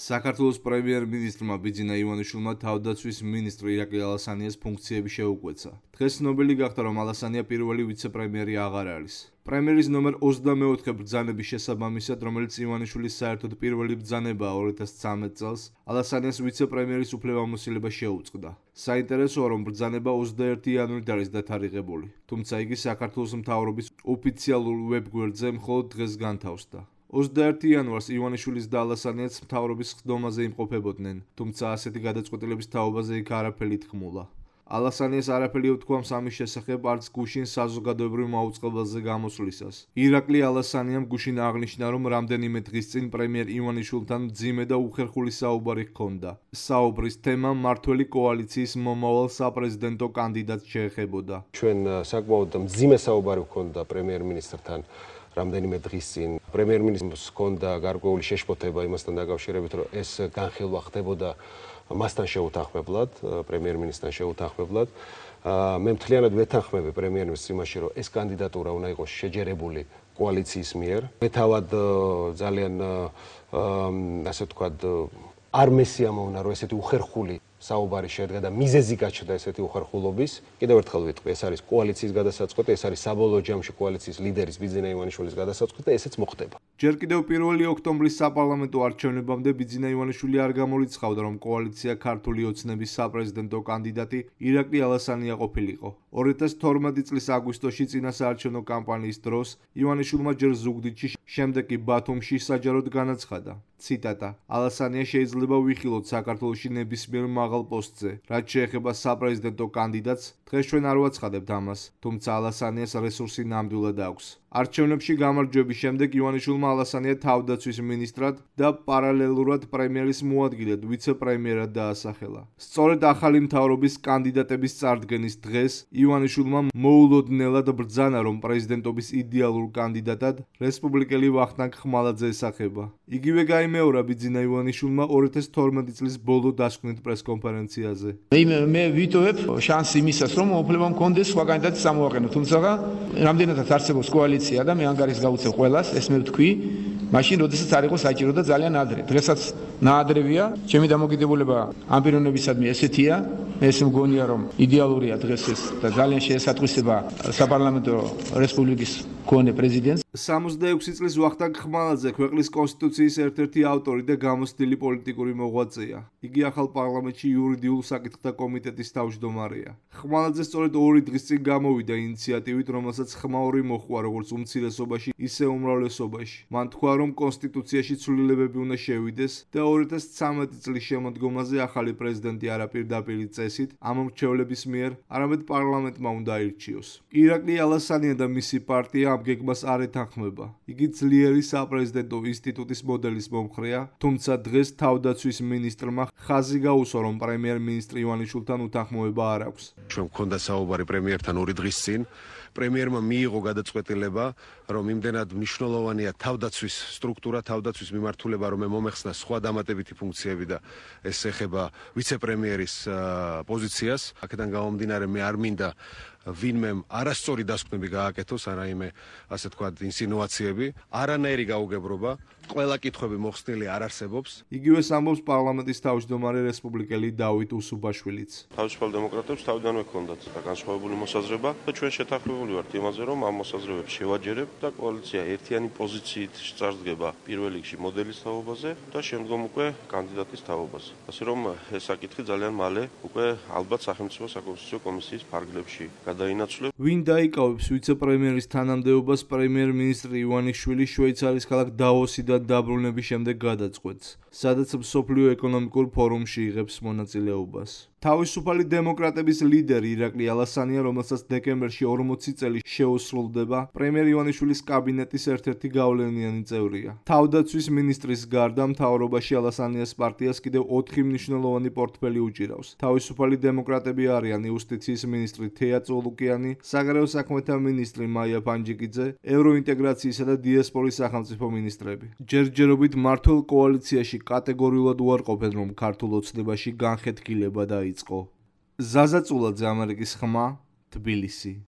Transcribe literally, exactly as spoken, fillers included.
საქართველოს პრემიერ-მინისტრმა ბიძინა ივანიშვილმა თავდაცვის მინისტრი ირაკლი ალასანიას ფუნქციები შეუკვეცა. დღეს ცნობილი გახდა, რომ ალასანია პირველი ვიცე-პრემიერი აღარ არის. პრემიერის ნომერ ოცდამეოთხე ბრძანების შესაბამისად, რომელიც ივანიშვილის საერთოდ პირველი ბრძანებაა ორი ათას ცხრამეტ წელს, ალასანიას ვიცე-პრემიერის უფლებამოსილება შეუწყდა. საინტერესოა, რომ ბრძანება ოცდაერთი იანვრით არის დათარიღებული, თუმცა იგი საქართველოს მთავრობის ოფიციალურ ვებგვერდზე მხოლოდ დღეს განთავსდა. ოცდაერთი იანვარს ივანიშვილის და ალასანიას მთავრობის ხდომაზე იმყოფებოდნენ, თუმცა ასეთი გადაწყვეტილების თაობაზე იქ არაფერი თქმულა. ალასანიას არაფერი უთქვამს ამის შესახებ არც გუშინ საზოგადოებრივ მაუწყებელზე გამოსვლისას. ირაკლი ალასანიამ გუშინ აღნიშნა, რომ რამდენიმე დღის წინ პრემიერ ივანიშვილთან მძიმე და უხერხული საუბარი ჰქონდა. საუბრის თემა მმართველი კოალიციის მომავალ საპრეზიდენტო კანდიდატს შეეხებოდა. ჩვენ საკმაოდ მძიმე საუბარი ჰქონდა პრემიერ-მინისტრთან რამდენიმე დღის წინ. პრემიერ-მინისტრს ჰქონდა გარკვეული შეშფოთება იმასთან დაკავშირებით, რომ ეს განხილვა ხდებოდა მასთან შეუთანხმებლად, პრემიერ-მინისტრთან შეუთანხმებლად. მე მთლიანად ვეთანხმები პრემიერ-მინისტრს იმაში, რომ ეს კანდიდატურა უნდა იყოს შეჯერებული კოალიციის მიერ. მე თავად ძალიან ასე ვთქვათ, არ მესიამოვნა, რომ ესეთი უხერხული საუბარი შედგა და მიზეზი გაჩნდა ესეთი უხერხულობის. კიდევ ერთხელ ვიტყვი, ეს არის კოალიციის გადასაწყვეტი, ეს არის საბოლოო ჯამში კოალიციის ლიდერის ბიძინა ივანიშვილის გადასაწყვეტი და ესეც მოხდება. ჯერ კიდევ პირველი ოქტომბრის საპარლამენტო არჩევნებამდე ბიძინა ივანიშვილი არ გამორიცხავდა, რომ კოალიცია ქართული ოცნების საპრეზიდენტო კანდიდატი ირაკლი ალასანია ყოფილიყო. ორი ათას თორმეტი წლის აგვისტოში წინა საარჩევნო კამპანიის დროს ივანიშვილმა ჯერ ზუგდიდში, შემდეგ კი ბათუმში საჯაროდ განაცხადა. ციტატა: ალასანია შეიძლება ვიხილოთ საქართველოში ნებისმიერ მაღალ პოსტზე. რაც შეეხება საპრეზიდენტო კანდიდატს, დღეს ჩვენ არ ვაცხადებთ ამას, თუმცა ალასანიას რესურსი ნამდვილად აქვს. არჩევნებში გამარჯვების შემდეგ ივანიშვილმა ალასანია თავდაცვის მინისტრად და პარალელურად პრემიერის მოადგილედ ვიცე-პრემიერად დაასახელა. სწორედ ახალი მთავრობის კანდიდატების წარდგენის დღეს ივანიშვილმა მოულოდნელად ბრძანა, რომ პრეზიდენტობის იდეალურ კანდიდატად რესპუბლიკელი ვახტანგ ხმალაძე ესახება. იგივე გაიმეორა ბიძინა ივანიშვილმა ორი ათას თორმეტი წლის ბოლო დასკვნით პრესკონფერენციაზე. მე ვიტოვებ შანსი იმისას, რომ უფლება მქონდეს სხვა კანდიდატი სამოაყენო, თუმცა რამდენადაც არსებობს კოალიცია და მე ანგარიშს გავუწევ ყველას, ეს მე ვთქვი, მაშინ როდესაც არ იყო საჭირო და ძალიან ადრე. დღესაც ნაადრევია, ჩემი დამოკიდებულება ამ პიროვნებისადმი ესეთია, ეს მგონია, რომ იდეალურია დღეს ეს და ძალიან შეესატყვისება საპარლამენტო რესპუბლიკის მქონე პრეზიდენტს. სამოცდაექვსი წლის ვახტანგ ხმალაძე ქვეყნის კონსტიტუციის ერთ-ერთი ავტორი და გამოცდილი პოლიტიკური მოღვაწეა. იგი ახალ პარლამენტში იურიდიულ საკითხთა კომიტეტის თავმჯდომარეა. ხმალაძე სწორედ ორი დღის წინ გამოვიდა ინიციატივით, რომელსაც ხმაური მოჰყვა როგორც უმცირესობაში, ისე უმრავლესობაში. მან თქვა, რომ კონსტიტუციაში ცვლილებები უნდა შევიდეს და ორი ათას ცხრამეტი წლის შემოდგომაზე ახალი პრეზიდენტი არა პირდაპირი წესით ამ მრჩევლების მიერ, არამედ პარლამენტმა უნდა აირჩიოს. ირაკლი ალასანია და მისი პარტია ამ გეგმას არ ეთანხმება. იგი ძლიერი საპრეზიდენტო ინსტიტუტის მოდელის მომხრეა, თუმცა დღეს თავდაცვის მინისტრმა ხაზი გაუსვა, რომ პრემიერ-მინისტრი ივანიშვილთან უთანხმოება არ აქვს. ჩვენ გვქონდა საუბარი პრემიერთან ორი დღის წინ. პრემიერმა მიიღო გადაწყვეტილება, რომ იმდენად მნიშვნელოვანია თავდაცვის სტრუქტურა, თავდაცვის მიმართულება, რომ მომეხსნა სხვა დამატებითი ფუნქციები და ეს ეხება ვიცე-პრემიერის პოზიციას. აქედან გამომდინარე, მე არ მინდა ვინმე არასწორი დასკვნები გააკეთოს, არაიმე ასე თქვათ ინსინუაციები, არანაირი გაუგებრობა, ყველა კითხვები მოხსნილი არ არსებობს. იგივეს ამბობს პარლამენტის თავმჯდომარე რესპუბლიკელი დავით უსუბაშვილიც. თავისუფალ დემოკრატებს თავიდანვე ჰქონდათ განსხვავებული მოსაზრება და ჩვენ შეთანხმებული ვართ იმაზე, რომ ამ მოსაზრებებს შევაჯერებთ და კოალიცია ერთიანი პოზიციით წარსდგება პირველ რიგში მოდელის თაობაზე და შემდგომ უკვე კანდიდატის თაობაზე. ასე რომ ეს საკითხი ძალიან მალე უკვე ალბათ სახელმწიფო საკონსტიტუციო კომისიის ფარგლებში გადაინაცვლებს. ვინ დაიკავებს ვიცე-პრემიერის თანამდებობას პრემიერ-მინისტრი ივანიშვილი შვეიცარიის ქალაქ დავოსიდან დაბრუნების შემდეგ გადაწყვეტს, სადაც მსოფლიო ეკონომიკურ ფორუმში იღებს მონაწილეობას. თავისუფალი დემოკრატების ლიდერი ირაკლი ალასანია, რომელსაც დეკემბერში ორმოცი წელი შეუსრულდება, პრემიერ ივანიშვილის კაბინეტის ერთ-ერთი გავლენიანი წევრია. თავდაცვის მინისტრის გარდა მთავრობაში ალასანიას პარტიას კიდევ ოთხი მნიშვნელოვანი პორტფელი უჭირავს. თავისუფალი დემოკრატები არიან იუსტიციის მინისტრი თეა წოლუკიანი, საგარეო საქმეთა მინისტრი მაია ფანჯიკიძე, ევროინტეგრაციისა და დიასპორის სახელმწიფო მინისტრები. ჯერჯერობით მმართველ კოალიციაში კატეგორიულად უარყოფენ, რომ ქართულ ოცნებაში განხეთქილება დაიწყო. ზაზა წულაძე, ამერიკის ხმა, თბილისი.